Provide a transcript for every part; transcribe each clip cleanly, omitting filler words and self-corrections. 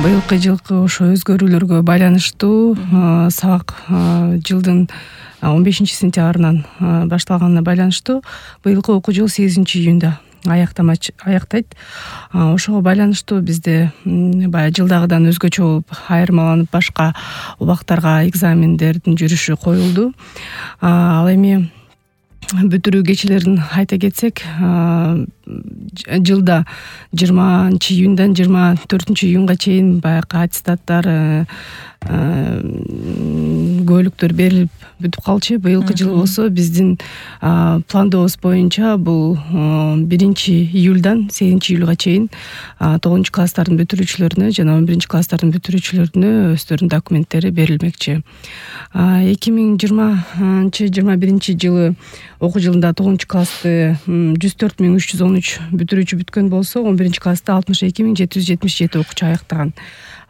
Быйылкы жылкы ошо өзгөрүүлөргө байланыштуу сабак жылдын 15-сентябрынан башталганына байланыштуу быйылкы окуу жыл 8-июнда аяктайт. Ошого байланыштуу бизде баягы жылдагыдан өзгөчө болуп айырмаланып башка убактарга экзамендердин жүрүшү коюлду. Ал эми бүтүрүү кечелерин айта кетсек, жылда 20-июндан 24-июнга чейин баягы аттестаттар, көөлүктөр берилип бүтүп калчу. Быйылкы жылы болсо биздин пландообуз боюнча бул 1-июлдан 8-июлга чейин 9-класстардын бүтүрүүчүлөрүнө жана 11-класстардын бүтүрүүчүлөрүнө өздөрүнүн документтери берилмекчи. 2020-21 жылы окуу жылында 9-классты 104.313 бүтүрүүчү бүткөн болсо, 11-классты 62.777 окуучу аяктаган.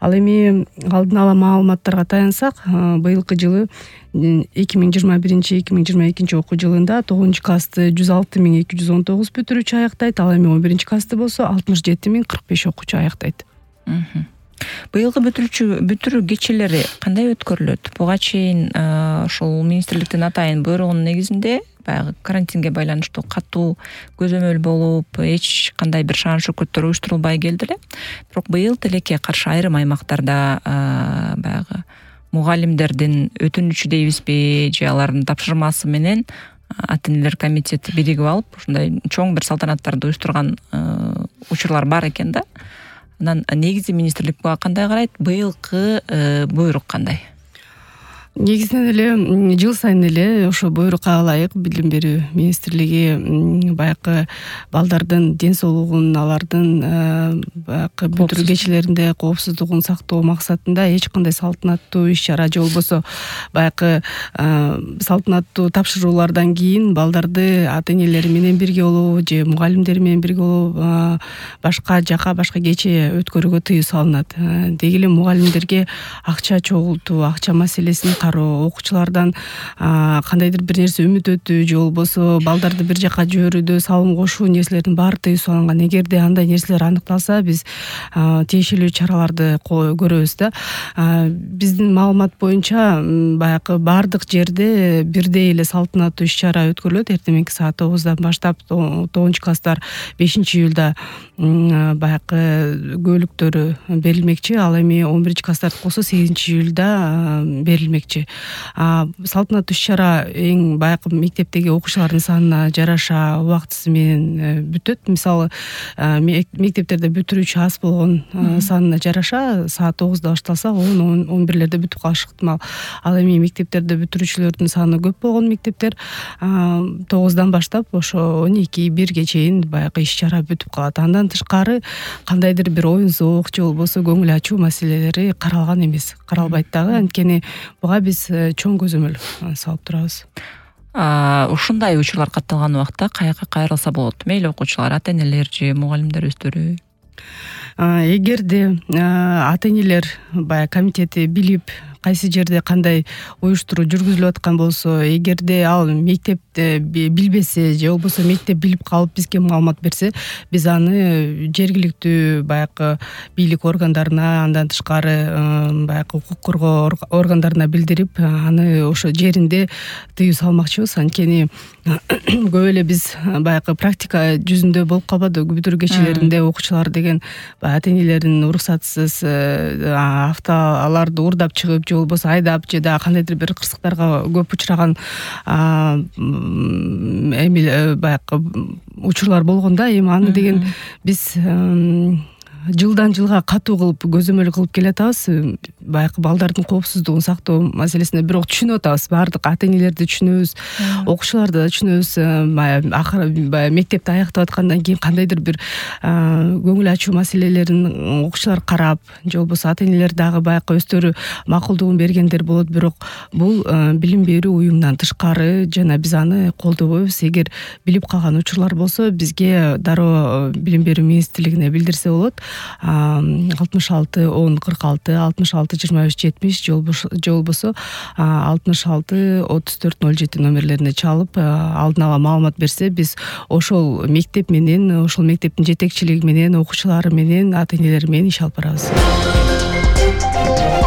Ал эми алдын ала маалыматтарга таянсак, быйылкы жылы 2021-2022 окуу жылында 9-классты 106.219 бүтүрүүчү аяктайт, ал эми 11-классты болсо 67.045 окуучу аяктайт. Быйылкы бүтүрүү кечелери кандай өткөрүлөт? Буга чейин ошол министрликтин атайын буйругунун негизинде баягы карантинге байланыштуу катуу көзөмөл болуп, эч кандай бир шаан шөкөттөр уюштурулбай келди эле. Бирок быйыл тилекке каршы айрым аймактарда баягы мугалимдердин өтүнүчү дейбизби же алардын тапшырмасы менен ата-энелер комитети биригип алып, ушундай чоң бир салтанаттарды уюштурган учурлар бар экен да. Анан негизи министрлик буга кандай карайт? Быйылкы буйрук кандай? Негизинен эле жыл сайын эле ошо буйрукка ылайык билим берүү министрлиги баягы балдардын ден соолугун, алардын баягы бүтүрүү кечелеринде коопсуздугун сактоо максатында эч кандай салтанаттуу иш-чара же болбосо баягы салтанаттуу тапшыруулардан кийин балдарды ата-энелери менен бирге болобу же мугалимдери менен бирге болобу башка жака, башка кече өткөрүүгө тыюу салынат. Деги эле мугалимдерге акча чогултуу, акча маселесин кароо, окуучулардан кандайдыр бир нерсе үмүт же болбосо балдарды бир жака жиберүүдө салым кошуу нерселердин баары тыюу салынган. Эгерде андай нерселер аныкталса, биз тиешелүү чараларды көрөбүз да. Биздин маалымат боюнча баягы баардык жерде бирдей эле салтанаттуу иш-чара өткөрүлөт. Эртеңки саат 9-дан баштап 9-класстар 5-июлда баягы көөлүктөрү берилмекчи. Ал эми 11-класстарды болсо 8-июлда берилмекчи. Салтанаттуу иш-чара эң баягы мектептеги окуучулардын санына жараша убактысы менен бүтөт. Мисалы, мектептерде бүтүрүүчү аз болгон санына жараша саат 9-да башталса, 10-11-лерде бүтүп калышы ыктымал. Ал эми мектептерде бүтүрүүчүлөрдүн саны көп болгон мектептер 9-дан баштап ошо 12-1ге чейин баягы иш-чара бүтүп калат. Андан тышкары кандайдыр бир оюн зоок же болбосо көңүл ачуу маселелери каралган эмес, каралбайт дагы. Анткени буга биз чоң көзөмөл салып турабыз. Ушундай учурлар катталган убакта каяка кайрылса болот? Мейли окуучулар, ата-энелер же мугалимдер өздөрү? Эгерде ата-энелер баягы комитети билип, кайсы жерде кандай уюштуруу жүргүзүлүп аткан болсо, эгерде ал мектепте билбесе же болбосо мектеп билип калып бизге маалымат берсе, биз аны жергиликтүү баягы бийлик органдарына, андан тышкары баягы укук коргоо органдарына билдирип, аны ошо жеринде тыюу салмакчыбыз. Анткени көп эле биз баягы практика жүзүндө болуп калбады. Бүтүрүү кечелеринде окуучулар деген ата-энелердин уруксатсыз автоларды уурдап чыгып же болбосо айдап же да кандайдыр бир кырсыктарга көп учураган баягы учурлар болгон да. Эми аны деген биз жылдан жылга катуу кылып көзөмөл кылып келатабыз. Баягы балдардын коопсуздугун сактоо маселесине бирок түшүнүп атабыз. Баардык ата-энелерди түшүнөбүз, окуучуларды да түшүнөбүз. Акыры мектепти аяктап аткандан кийин кандайдыр бир көңүл ачуу маселелерин окуучулар карап же болбосо ата-энелер дагы баягы өздөрү макулдугун бергендер болот. Бирок бул билим берүү уюмунан тышкары жана биз аны колдобойбуз. Эгер билип калган учурлар болсо, бизге дароо билим берүү министрлигине билдирсе болот. 66 10 46 66 25 70 же болбосо 66 34 07 номерлерине чалып алдын ала маалымат берсе, биз ошол мектеп менен, ошол мектептин жетекчилиги менен, окуучулары менен, ата-энелери менен иш алып барабыз. Радио